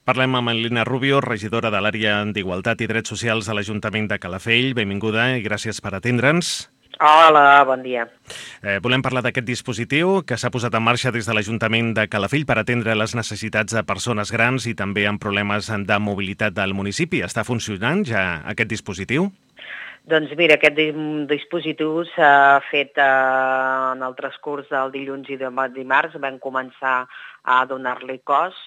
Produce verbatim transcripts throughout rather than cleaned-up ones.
Parlem amb Lina Rubio, regidora de l'àrea d'Igualtat i Drets Socials a l'Ajuntament de Calafell. Benvinguda i gràcies per atendre'ns. Hola, bon dia. Eh, volem parlar d'aquest dispositiu que s'ha posat en marxa des de l'Ajuntament de Calafell per atendre les necessitats de persones grans i també amb problemes de mobilitat del municipi. Està funcionant ja aquest dispositiu? Doncs mira, aquest dispositiu s'ha fet eh, en el transcurs del dilluns i del dimarts. Vam començar a donar-li cos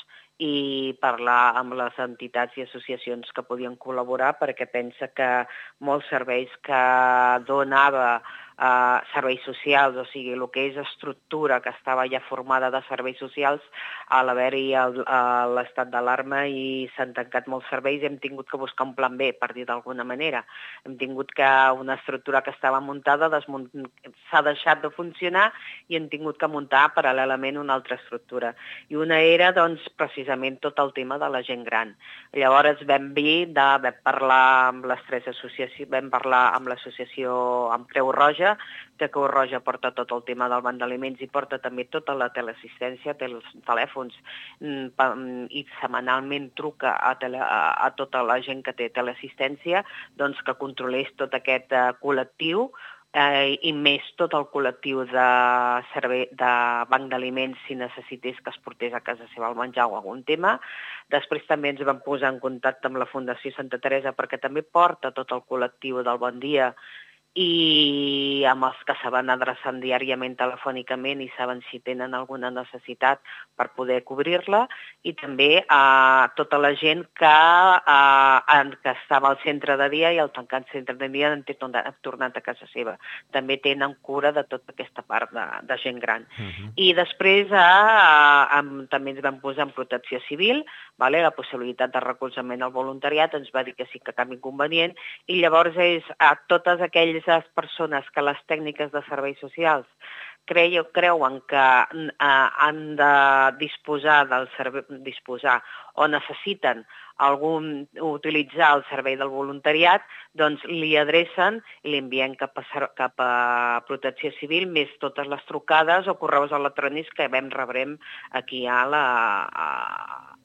i parlar amb les entitats i associacions que podien col·laborar, perquè pensa que molts serveis que donava eh, serveis socials, o sigui, el que és estructura que estava ja formada de serveis socials, a l'haver-hi l'estat d'alarma i s'han tancat molts serveis, hem tingut que buscar un plan B, per dir d'alguna manera. Hem tingut que una estructura que estava muntada s'ha deixat de funcionar i hem tingut que muntar paral·lelament una altra estructura. I una era, doncs, precisament tot el tema de la gent gran. Llavors vam dir, de, vam parlar amb les tres associacions, vam parlar amb l'associació amb Creu Roja, que Creu Roja porta tot el tema del banc d'aliments i porta també tota la teleassistència, té els telèfons i setmanalment truca a, tele, a, a tota la gent que té teleassistència, doncs que controlés tot aquest uh, col·lectiu eh, i més tot el col·lectiu de, servei, de banc d'aliments si necessités que es portés a casa seva el menjar o algun tema. Després també ens vam posar en contacte amb la Fundació Santa Teresa perquè també porta tot el col·lectiu del Bon Dia i amb els que se van adreçant diàriament telefònicament i saben si tenen alguna necessitat per poder cobrir-la, i també a eh, tota la gent que, eh, que estava al centre de dia i al tancat centre de dia han tornat a casa seva. També tenen cura de tota aquesta part de, de gent gran. Uh-huh. I després eh, eh, també ens vam posar en protecció civil, vale? La possibilitat de recolzament al voluntariat, ens va dir que sí que cap inconvenient, i llavors és a totes aquelles persones que les tècniques de serveis socials creu, creuen que eh, han de disposar del servei, disposar o necessiten algun, utilitzar el servei del voluntariat, doncs li adrecen i li envien cap a, cap a Protecció Civil, més totes les trucades o correus electrònics que vam rebrem aquí a, la, a,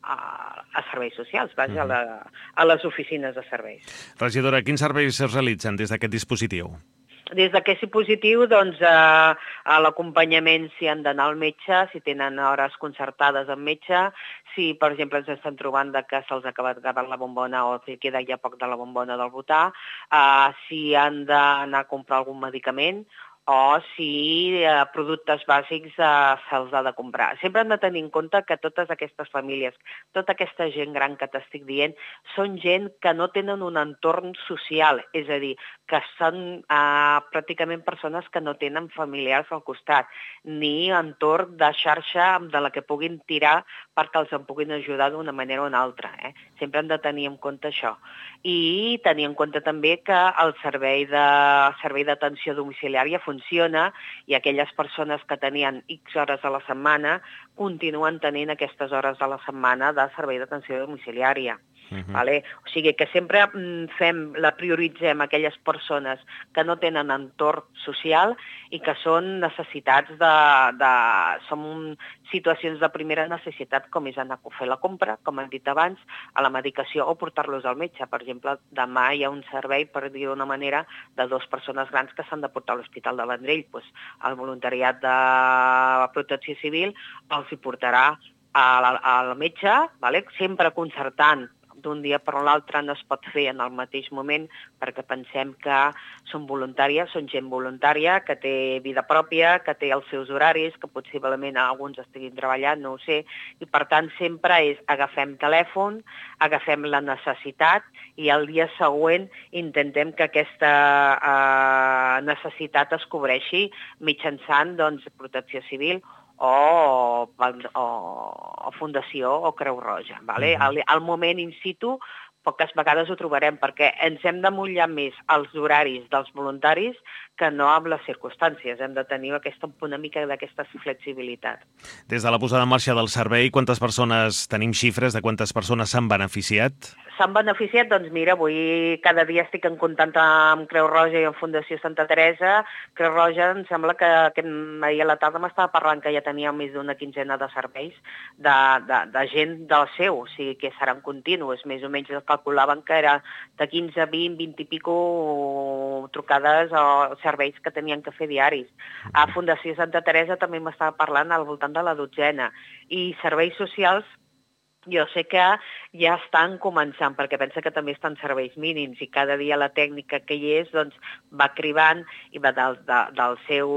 a, a serveis socials, vaja, uh-huh. a, la, a les oficines de serveis. Regidora, quins serveis es realitzen des d'aquest dispositiu? Des d'aquest dispositiu, doncs, eh, a l'acompanyament si han d'anar al metge, si tenen hores concertades amb metge, si, per exemple, ens estan trobant que se'ls ha acabat la bombona o si queda ja poc de la bombona del butà, eh, si han d'anar a comprar algun medicament, o si eh, productes bàsics eh, se'ls ha de comprar. Sempre hem de tenir en compte que totes aquestes famílies, tota aquesta gent gran que t'estic dient, són gent que no tenen un entorn social, és a dir, que són eh, pràcticament persones que no tenen familiars al costat, ni entorn de xarxa de la que puguin tirar perquè els en puguin ajudar d'una manera o una altra. Eh? Sempre hem de tenir en compte això. I tenir en compte també que el servei de servei d'atenció domiciliària funciona i aquelles persones que tenien X hores a la setmana continuen tenint aquestes hores a la setmana de servei d'atenció domiciliària. Uh-huh. Vale? O sigui que sempre fem, la prioritzem aquelles persones que no tenen entorn social i que són necessitats de, de són situacions de primera necessitat, com és anar a fer la compra, com hem dit abans, a la medicació o portar-los al metge. Per exemple, demà hi ha un servei, per dir d'una manera, de dues persones grans que s'han de portar a l'Hospital de Vendrell. Pues, el voluntariat de Protecció Civil els hi portarà al metge, vale? Sempre concertant d'un dia per l'altre, no es pot fer en el mateix moment perquè pensem que són voluntàries, són gent voluntària, que té vida pròpia, que té els seus horaris, que possiblement alguns estiguin treballant, no ho sé, i per tant sempre és agafem telèfon, agafem la necessitat i el dia següent intentem que aquesta eh, necessitat es cobreixi mitjançant doncs, Protecció Civil o, o, o Fundació o Creu Roja. Vale? Uh-huh. al, al moment in situ poques vegades ho trobarem perquè ens hem de mullar més als horaris dels voluntaris que no amb les circumstàncies. Hem de tenir aquesta, una mica d'aquesta flexibilitat. Des de la posada en marxa del servei, quantes persones, tenim xifres de quantes persones s'han beneficiat? s'han beneficiat? Doncs mira, avui cada dia estic en contacte amb Creu Roja i amb Fundació Santa Teresa. Creu Roja em sembla que, que ahir a la tarda m'estava parlant que ja tenia més d'una quinzena de serveis de, de, de gent del seu, o sigui que seran continus. Més o menys calculaven que era de quinze, vint, vint i pico trucades o serveis que tenien que fer diaris. A Fundació Santa Teresa també m'estava parlant al voltant de la dotzena. I serveis socials jo sé que ja estan començant, perquè pensa que també estan serveis mínims i cada dia la tècnica que hi és doncs, va cribant i va del, de, del, seu,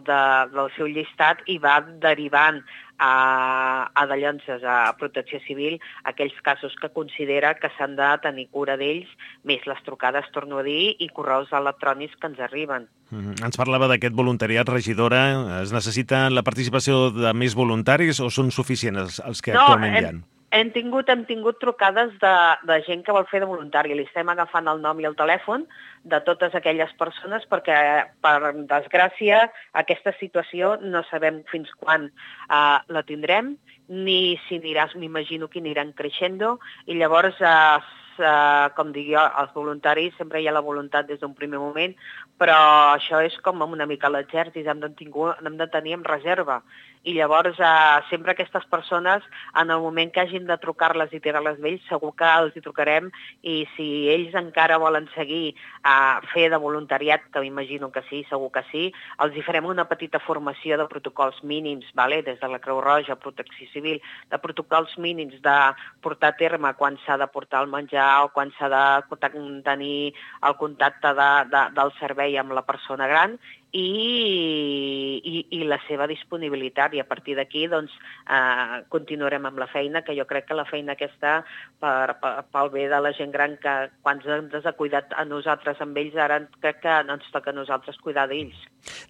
de, del seu llistat i va derivant a, a de llonses, a Protecció Civil, aquells casos que considera que s'han de tenir cura d'ells, més les trucades, torno a dir, i correus electrònics que ens arriben. Mm-hmm. Ens parlava d'aquest voluntariat, regidora. Es necessita la participació de més voluntaris o són suficients els, els que no, actualment hi ha? Hem... Hem tingut, hem tingut trucades de, de gent que vol fer de voluntari. Li estem agafant el nom i el telèfon de totes aquelles persones perquè, per desgràcia, aquesta situació no sabem fins quan uh, la tindrem, ni si aniràs, m'imagino que aniran creixent, i llavors, uh, uh, com dic jo, els voluntaris sempre hi ha la voluntat des d'un primer moment, però això és com una mica l'exèrcit, hem de, hem de tenir en reserva. I llavors eh, sempre aquestes persones, en el moment que hagin de trucar-les i tirar-les d'ells, segur que els hi trucarem i si ells encara volen seguir a eh, fer de voluntariat, que m'imagino que sí, segur que sí, els hi farem una petita formació de protocols mínims, vale? Des de la Creu Roja, Protecció Civil, de protocols mínims de portar a terme quan s'ha de portar el menjar o quan s'ha de tenir el contacte de, de, del servei amb la persona gran, I, i, i la seva disponibilitat, i a partir d'aquí doncs, eh, continuarem amb la feina, que jo crec que la feina aquesta per, per, pel bé de la gent gran, que quan ens ha cuidat a nosaltres amb ells, ara crec que no ens toca a nosaltres cuidar d'ells.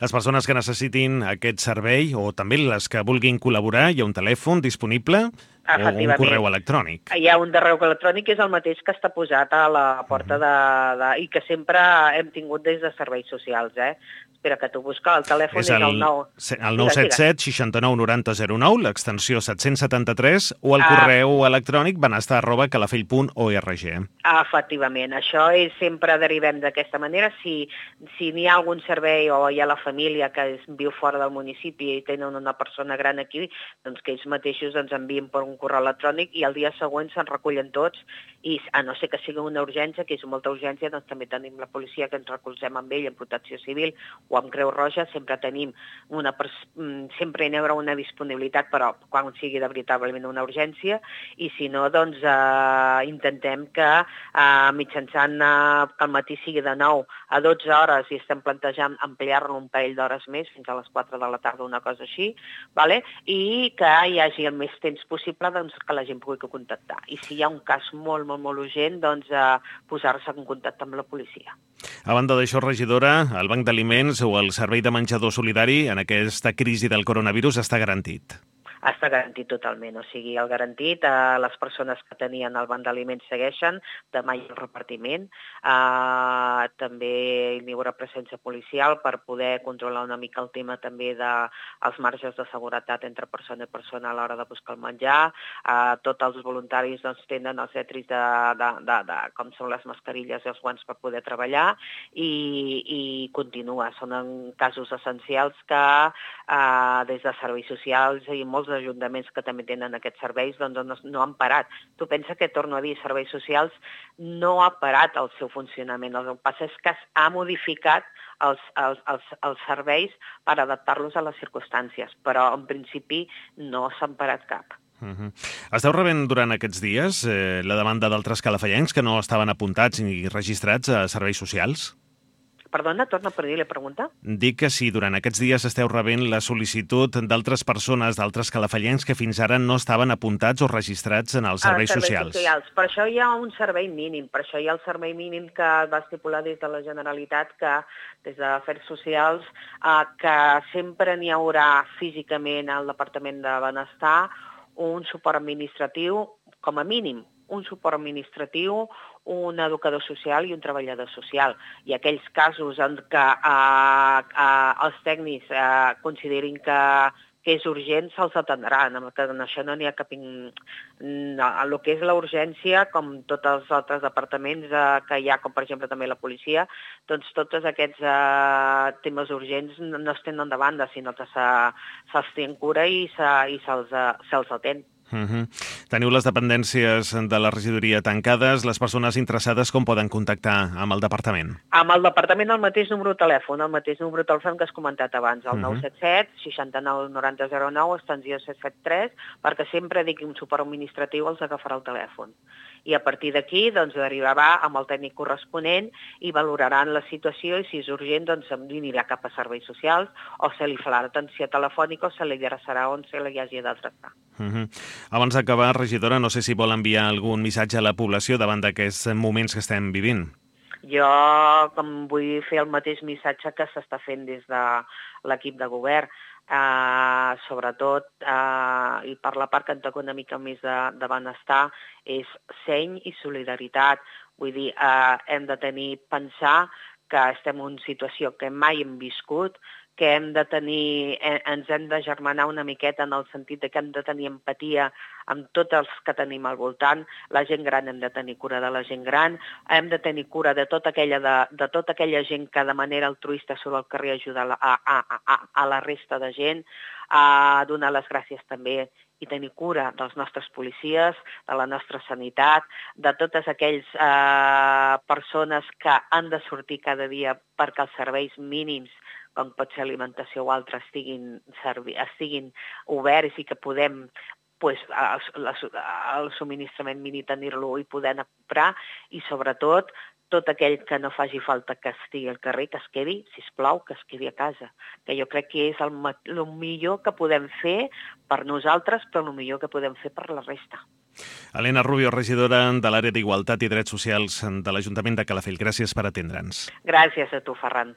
Les persones que necessitin aquest servei o també les que vulguin col·laborar, hi ha un telèfon disponible o un correu electrònic? Hi ha un correu electrònic que és el mateix que està posat a la porta de, de, i que sempre hem tingut des de serveis socials, eh? Espera, que t'ho busca, el telèfon és el, és el nou... El nou set set sis nou nou zero zero nou, l'extensió set-cents setanta-tres, o el ah. correu electrònic benestar arroba calafell punt org. Ah, efectivament, això és, sempre derivem d'aquesta manera. Si, si n'hi ha algun servei o hi ha la família que es viu fora del municipi i tenen una persona gran aquí, doncs que ells mateixos ens envien per un correu electrònic i el dia següent se'n recullen tots, i a no ser que sigui una urgència, que és molta urgència, doncs també tenim la policia que ens recolzem amb ell, en Protecció Civil o amb Creu Roja, sempre tenim una, sempre hi haurà una disponibilitat, però quan sigui de veritablement una urgència, i si no, doncs eh, intentem que eh, mitjançant eh, que el matí sigui de nou a dotze hores i estem plantejant ampliar-lo un parell d'hores més, fins a les quatre de la tarda, una cosa així, vale? I que hi hagi el més temps possible doncs, que la gent pugui contactar. I si hi ha un cas molt, molt, molt urgent, doncs eh, posar-se en contacte amb la policia. A banda d'això, regidora, el Banc d'Aliments o el Servei de Menjador Solidari en aquesta crisi del coronavirus està garantit? Està garantit totalment, o sigui, el garantit, eh, les persones que tenien el banc d'aliments segueixen, demà hi ha el repartiment, eh, també hi haurà presència policial per poder controlar una mica el tema també dels marges de seguretat entre persona i persona a l'hora de buscar el menjar, eh, tots els voluntaris doncs, tenen els etris de, de, de, de com són les mascarilles i els guants per poder treballar i, i continua, són en casos essencials que eh, des de serveis socials i molts ajuntaments que també tenen aquests serveis doncs no, no han parat. Tu pensa que, torno a dir, serveis socials no ha parat el seu funcionament. El que passa és que ha modificat els, els, els, els serveis per adaptar-los a les circumstàncies, però en principi no s'han parat cap. Uh-huh. Esteu rebent durant aquests dies eh, la demanda d'altres calafellencs que no estaven apuntats ni registrats a serveis socials? Perdona, torna per dir la pregunta. Dic que si durant aquests dies esteu rebent la sol·licitud d'altres persones, d'altres calafellens que fins ara no estaven apuntats o registrats en els serveis, serveis socials. socials. Per això hi ha un servei mínim, per això hi ha el servei mínim que va estipular des de la Generalitat, que des d'Afers Socials, eh, que sempre n'hi haurà físicament al Departament de Benestar un suport administratiu, com a mínim, un suport administratiu, un educador social i un treballador social. I aquells casos en què eh, eh, els tècnics eh, considerin que que és urgent, se'ls atendrà. En això no n'hi ha cap... No, el que és la urgència, com tots els altres departaments eh, que hi ha, com per exemple també la policia, doncs tots aquests eh, temes urgents no, no es tenen de banda, sinó que se, se'ls té en cura i, se, i se'ls se atén. Uh -huh. Teniu les dependències de la regidoria tancades. Les persones interessades com poden contactar amb el departament? Amb el departament el mateix número de telèfon, el mateix número de telèfon que has comentat abans, el uh -huh. nou set set, seixanta-nou, noranta, zero nou, extensió set set tres, perquè sempre digui un suport administratiu els agafarà el telèfon. I a partir d'aquí doncs, derivarà amb el tècnic corresponent i valoraran la situació i si és urgent doncs anirà cap a serveis socials o se li farà atenció telefònica o se li adreçarà on se li hagi d'adreçar. Uh -huh. Abans d'acabar, regidora, no sé si vol enviar algun missatge a la població davant d'aquests moments que estem vivint. Jo com vull fer el mateix missatge que s'està fent des de l'equip de govern, Uh, sobretot, uh, i per la part que en toca una mica més de, de benestar, és seny i solidaritat. Vull dir, uh, hem de tenir, pensar que estem en una situació que mai hem viscut, que hem de tenir, eh, ens hem de germanar una miqueta en el sentit de que hem de tenir empatia amb tots els que tenim al voltant. La gent gran hem de tenir cura de la gent gran, hem de tenir cura de tota aquella, de, de tota aquella gent que de manera altruista surt al carrer a ajudar a, a, a, a la resta de gent, a donar les gràcies també i tenir cura dels nostres policies, de la nostra sanitat, de totes aquelles eh, persones que han de sortir cada dia perquè els serveis mínims com pot ser alimentació o altres, estiguin, estiguin oberts i que podem pues, el, el subministrament mínim tenir-lo i poder anar a comprar, i sobretot tot aquell que no faci falta que estigui al carrer, que es quedi, sisplau, que es quedi a casa, que jo crec que és el, el millor que podem fer per nosaltres, però el millor que podem fer per la resta. Elena Rubio, regidora de l'àrea d'Igualtat i Drets Socials de l'Ajuntament de Calafell. Gràcies per atendre'ns. Gràcies a tu, Ferran.